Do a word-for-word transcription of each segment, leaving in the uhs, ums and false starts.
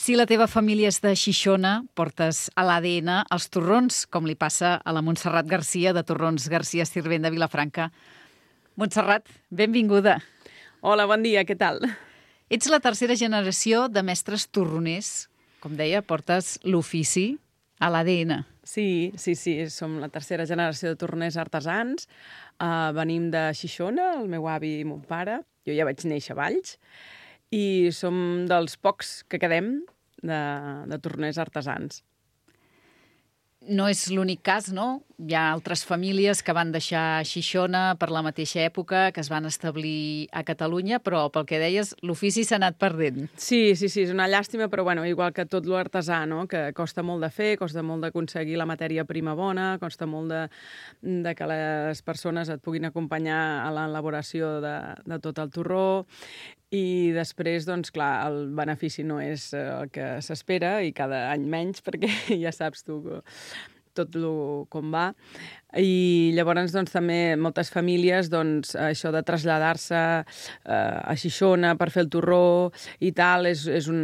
Si la teva família és de Xixona, portes a l'A D N els torrons, com li passa a la Montserrat Garcia, de Torrons Garcia Sirvent de Vilafranca. Montserrat, benvinguda. Hola, bon dia, què tal? Ets la tercera generació de mestres torroners. Com deia, portes l'ofici a l'A D N. Sí, sí, sí, som la tercera generació de torroners artesans. Uh, venim de Xixona, el meu avi i mon pare. Jo ja vaig néixer a Valls. I som dels pocs que quedem de, de torners artesans. No és l'únic cas, no? Hi ha altres famílies que van deixar Xixona per la mateixa època, que es van establir a Catalunya, però pel que deies, l'ofici s'ha anat perdent. Sí, sí, sí, és una llàstima, però bueno, igual que tot l'artesà, no? Que costa molt de fer, costa molt d'aconseguir la matèria prima bona, costa molt de, de que les persones et puguin acompanyar a l'elaboració de, de tot el torró. I després, doncs, clar, el benefici no és el que s'espera i cada any menys, perquè ja saps tu tot el, com va. I llavors, doncs, també moltes famílies, doncs, això de traslladar-se eh, a Xixona per fer el torró i tal, és, és un,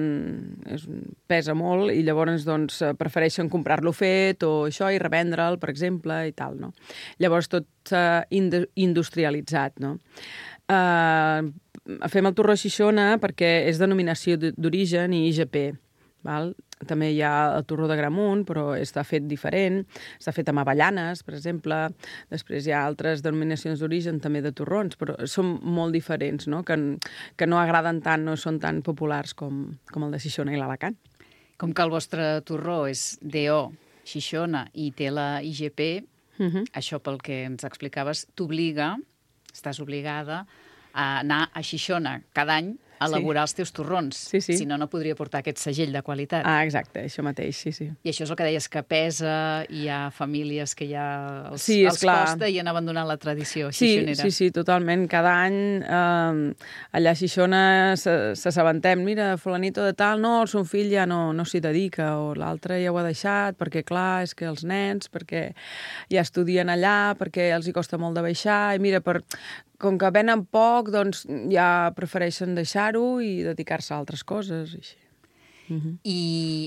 és un, pesa molt, i llavors, doncs, prefereixen comprar-lo fet o això i revendre'l, per exemple, i tal, no? Llavors, tot s'ha industrialitzat, no? Eh... Fem el torró a Xixona perquè és denominació d'origen i I G P. Val? També hi ha el torró de Gramunt, però està fet diferent. Està fet amb avellanes, per exemple. Després hi ha altres denominacions d'origen també de torrons, però són molt diferents, no? Que, que no agraden tant, no són tan populars com, com el de Xixona i l'Alacant. Com que el vostre torró és D O Xixona i té la I G P, uh-huh. Això pel que ens explicaves t'obliga, estàs obligada a anar a Xixona cada any a elaborar sí. els teus torrons. Sí, sí. Si no, no podria portar aquest segell de qualitat. Ah, exacte, això mateix, sí, sí. I això és el que deies, que pesa, hi ha famílies que ja els, sí, els costa i han abandonat la tradició xixonera. Sí, sí, sí, totalment. Cada any eh, allà a Xixona s'assabentem, mira, fulanito de tal, no, el seu fill ja no, no s'hi dedica, o l'altre ja ho ha deixat, perquè clar, és que els nens, perquè ja estudien allà, perquè els hi costa molt de baixar, i mira, per... com que venen poc, doncs ja prefereixen deixar-ho i dedicar-se a altres coses. Així. Uh-huh. I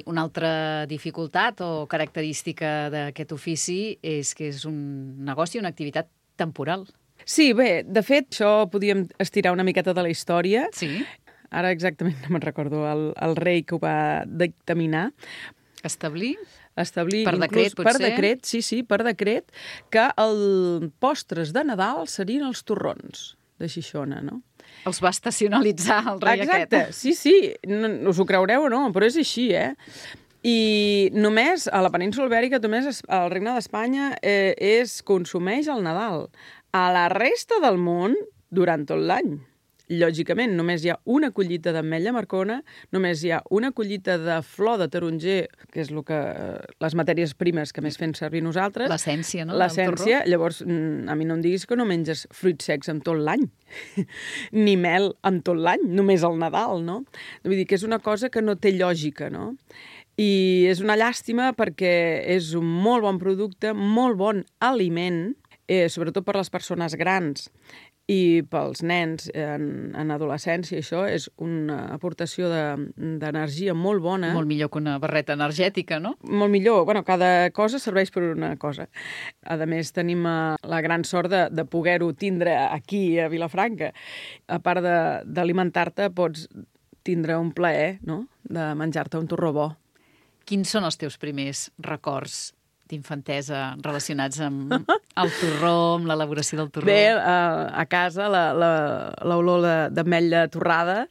una altra dificultat o característica d'aquest ofici és que és un negoci, una activitat temporal. Sí, bé, de fet, això podíem estirar una miqueta de la història. Sí. Ara exactament no me'n recordo el, el rei que ho va dictaminar. Establir? Establir per decret, potser? Per decret, sí, sí, per decret, que el postres de Nadal serien els torrons de Xixona, no? Els va estacionalitzar el rei Exacte, aquest. sí, sí, no, us ho creureu o no, però és així, eh? I només a la península Ibèrica, només al Regne d'Espanya, eh, es consumeix el Nadal. A la resta del món, durant tot l'any. Lògicament, només hi ha una collita d'ametlla marcona, només hi ha una collita de flor de taronger, que és el que, les matèries primes que més fem servir nosaltres. L'essència, no? L'essència. Llavors, a mi no em diguis que no menges fruits secs en tot l'any, ni mel en tot l'any, només al Nadal, no? Vull dir que és una cosa que no té lògica, no? I és una llàstima perquè és un molt bon producte, molt bon aliment, eh, sobretot per les persones grans, i pels nens en, en adolescència, això és una aportació d'energia de, molt bona. Molt millor que una barreta energètica, no? Molt millor. Bueno, cada cosa serveix per una cosa. A més, tenim la gran sort de, de poder-ho tindre aquí, a Vilafranca. A part d'alimentar-te, pots tindre un plaer, no?, de menjar-te un torró bo. Quins són els teus primers records d'infantesa relacionats amb el torró, amb l'elaboració del torró? Bé, a, a casa l'olor d'ametlla torrada,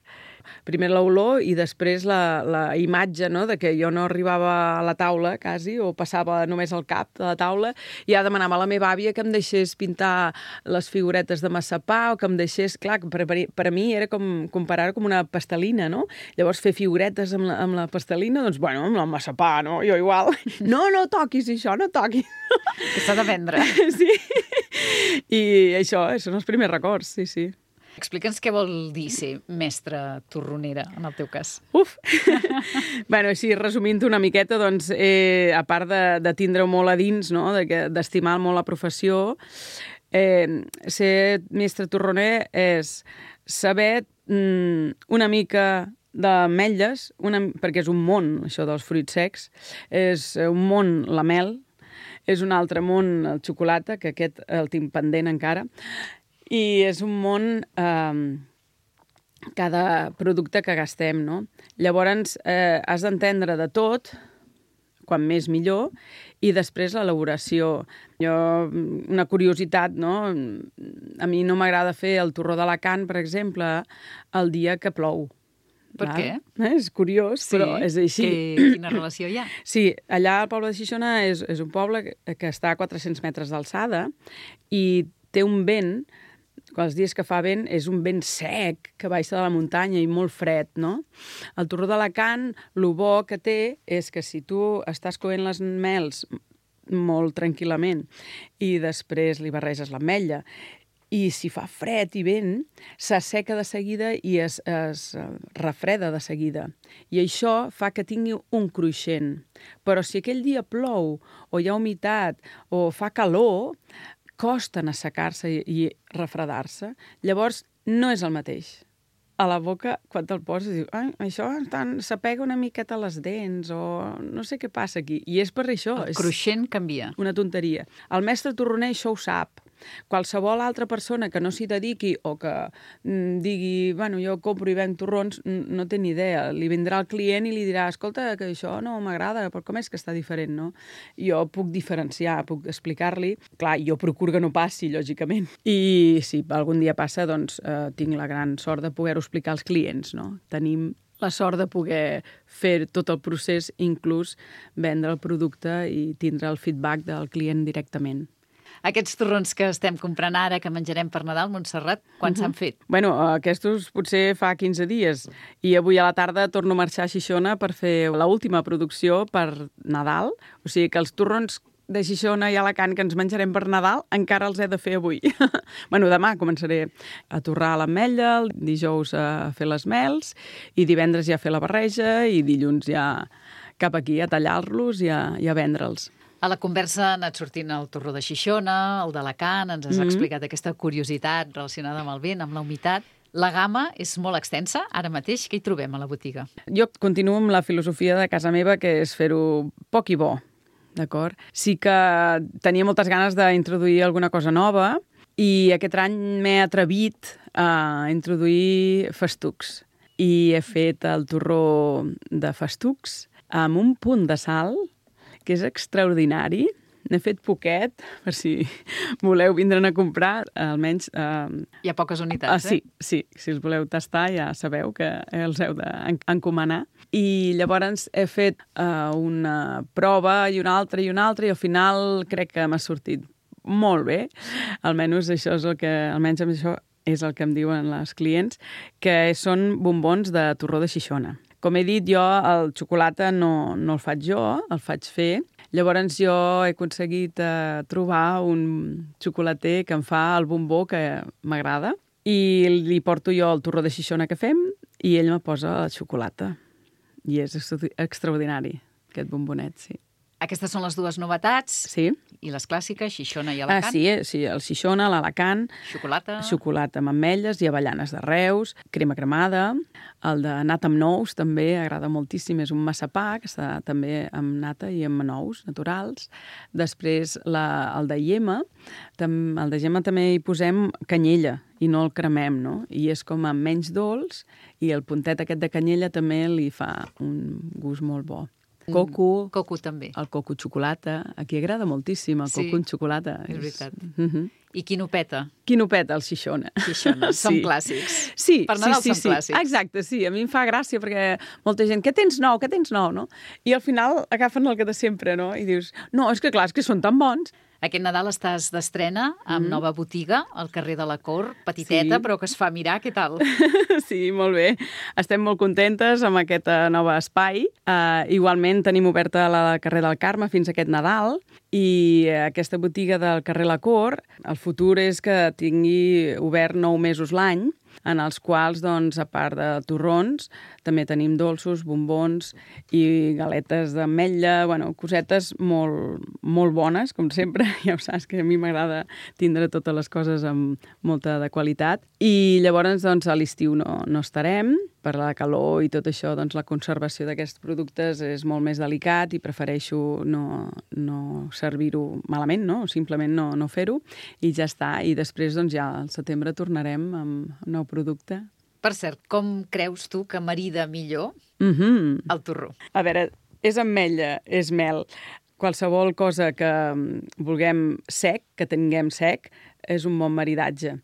primer l'olor i després la, la imatge, no?, de que jo no arribava a la taula, quasi, o passava només al cap de la taula, i ja demanava a la meva àvia que em deixés pintar les figuretes de massapà, o que em deixés, clar, per, per a mi era com comparar com una pastelina, no? Llavors fer figuretes amb la, amb la pastelina, doncs, bueno, amb el massapà, no? Jo igual, no, no toquis això, no toquis. Que s'ha de vendre. Sí. I això, són els primers records, sí, sí. Explica'ns què vol dir ser mestra torronera, en el teu cas. Uf! Bueno, així, resumint una miqueta, doncs, eh, a part de, de tindre-ho molt a dins, no?, d'estimar molt la professió, eh, ser mestre torroner és saber mm, una mica d'ametlles, una, perquè és un món, això dels fruits secs, és un món la mel, és un altre món el xocolata, que aquest el tinc pendent encara, i és un món eh, cada producte que gastem, no? Llavors, eh, has d'entendre de tot, quan més millor, i després l'elaboració. Jo, una curiositat, no? A mi no m'agrada fer el torró d'Alacant, per exemple, el dia que plou. Per Val? què? Eh? És curiós, sí, però és així. Que, quina relació hi ha? Sí, allà al poble de Xixona és, és un poble que està a quatre-cents metres d'alçada i té un vent, els dies que fa vent, és un vent sec que baixa de la muntanya i molt fred, no? El torró d'Alacant, el bo que té és que si tu estàs coent les mels molt tranquil·lament i després li barreges l'ametlla, i si fa fred i vent, s'asseca de seguida i es, es refreda de seguida. I això fa que tingui un cruixent. Però si aquell dia plou, o hi ha humitat, o fa calor, costen assecar-se i, i refredar-se. Llavors, no és el mateix. A la boca, quan te'l poses, dius, ai, això s'apega una miqueta a les dents, o no sé què passa aquí. I és per això. El cruixent canvia. Una tonteria. El mestre torroner això ho sap. Qualsevol altra persona que no s'hi dediqui o que mm, digui, bueno, jo compro i venc torrons, no té ni idea. Li vindrà el client i li dirà, escolta, que això no m'agrada, però com és que està diferent, no? Jo puc diferenciar, puc explicar-li. Clar, jo procuro que no passi, lògicament. I si algun dia passa, doncs eh, tinc la gran sort de poder-ho explicar als clients, no? Tenim la sort de poder fer tot el procés, inclús vendre el producte i tindre el feedback del client directament. Aquests torrons que estem comprant ara, que menjarem per Nadal, Montserrat, quan uh -huh. s'han fet? Bueno, aquests potser fa quinze dies. I avui a la tarda torno a marxar a Xixona per fer l'última producció per Nadal. O sigui que els torrons de Xixona i Alacant que ens menjarem per Nadal encara els he de fer avui. Bueno, demà començaré a torrar l'ametlla, dijous a fer les mels, i divendres ja a fer la barreja, i dilluns ja cap aquí a tallar-los i a, i a vendre'ls. A la conversa ha anat sortint el torró de Xixona, el d'Alacant, ens has mm-hmm. explicat aquesta curiositat relacionada amb el vent, amb la humitat. La gamma és molt extensa. Ara mateix, què hi trobem a la botiga? Jo continuo amb la filosofia de casa meva, que és fer-ho poc i bo, d'acord? Sí que tenia moltes ganes d'introduir alguna cosa nova i aquest any m'he atrevit a introduir festucs. I he fet el torró de festucs amb un punt de sal, que és extraordinari. N'he fet poquet, per si voleu vindre'n a comprar, almenys... Eh... Hi ha poques unitats, ah, eh? Sí, sí. Si els voleu tastar ja sabeu que els heu d'encomanar. I llavors he fet eh, una prova i una altra i una altra i al final crec que m'ha sortit molt bé. Almenys això és el que... Almenys amb això és el que em diuen les clients, que són bombons de torró de Xixona. Com he dit, jo el xocolata no, no el faig jo, el faig fer. Llavors jo he aconseguit eh, trobar un xocolater que em fa el bombó que m'agrada i li porto jo el torró de Xixona que fem i ell me posa la xocolata. I és extraordinari, aquest bombonet, sí. Aquestes són les dues novetats. Sí. I les clàssiques, Xixona i Alacant. Ah, sí, sí, el Xixona, l'Alacant. Xocolata. Xocolata amb ametlles i avellanes de Reus, crema cremada. El de nata amb nous també agrada moltíssim, és un massapà, que està també amb nata i amb nous naturals. Després la, el de iema, tam, el de iema també hi posem canyella i no el cremem, no? I és com amb menys dolç i el puntet aquest de canyella també li fa un gust molt bo. Coco. Mm, coco també. El coco xocolata. Aquí agrada moltíssim el sí, coco en xocolata. És veritat. Uh-huh. I quin ho peta? Quin ho peta? El Xixona. Xixona. Són sí. clàssics. Sí, per Nadal sí, sí, són sí. clàssics. Exacte, sí. A mi em fa gràcia perquè molta gent, què tens nou, què tens nou, no? I al final agafen el que de sempre, no? I dius, no, és que clar, és que són tan bons. Aquest Nadal estàs d'estrena amb mm. nova botiga al carrer de la Cor, petiteta, sí. però que es fa mirar, què tal? Sí, molt bé. Estem molt contentes amb aquest nou espai. Uh, igualment tenim oberta la carrer del Carme fins aquest Nadal i aquesta botiga del carrer La Cor, el futur és que tingui obert nou mesos l'any. en els quals, doncs, a part de torrons, també tenim dolços, bombons i galetes d'ametlla, bueno, cosetes molt, molt bones, com sempre. Ja ho saps que a mi m'agrada tindre totes les coses amb molta de qualitat. I llavors, doncs, a l'estiu no, no estarem, per la calor i tot això, doncs la conservació d'aquests productes és molt més delicat i prefereixo no, no servir-ho malament, no? Simplement no, no fer-ho i ja està. I després, doncs, ja al setembre tornarem amb un nou producte. Per cert, com creus tu que marida millor Mm-hmm. el torró? A veure, és ametlla, és mel. Qualsevol cosa que vulguem sec, que tinguem sec, és un bon maridatge.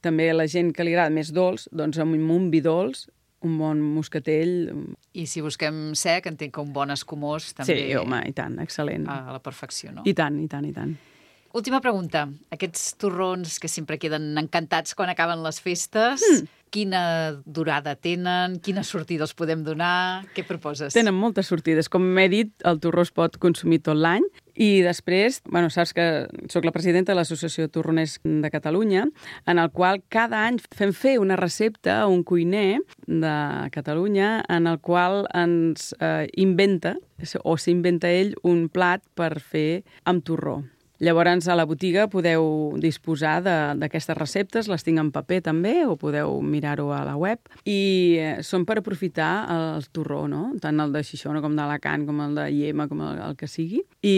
També la gent que li agrada més dolç, doncs amb un vi dolç, un bon moscatell. I si busquem sec, entenc que un bon escumós també... Sí, home, i tant, excel·lent. A la perfecció, no? I tant, i tant, i tant. Última pregunta. Aquests torrons que sempre queden encantats quan acaben les festes, mm. quina durada tenen? Quina sortida els podem donar? Què proposes? Tenen moltes sortides. Com m'he dit, el torró es pot consumir tot l'any. I després, bueno, saps que sóc la presidenta de l'Associació Torroners de Catalunya, en el qual cada any fem fer una recepta a un cuiner de Catalunya en el qual ens eh, inventa, o s'inventa ell, un plat per fer amb torró. Llavors, a la botiga podeu disposar d'aquestes receptes, les tinc en paper també, o podeu mirar-ho a la web, i eh, són per aprofitar el torró, no? Tant el de Xixona com d'Alacant, com el de Llema, com el, el que sigui. I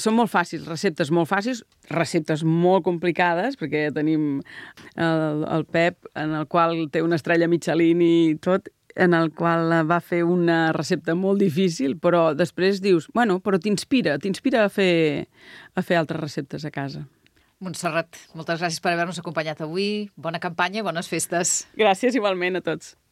són molt fàcils, receptes molt fàcils, receptes molt complicades, perquè tenim el, el Pep, en el qual té una estrella Michelin i tot, en el qual va fer una recepta molt difícil, però després dius, bueno, però t'inspira, t'inspira a fer, a fer altres receptes a casa. Montserrat, moltes gràcies per haver-nos acompanyat avui. Bona campanya i bones festes. Gràcies igualment a tots.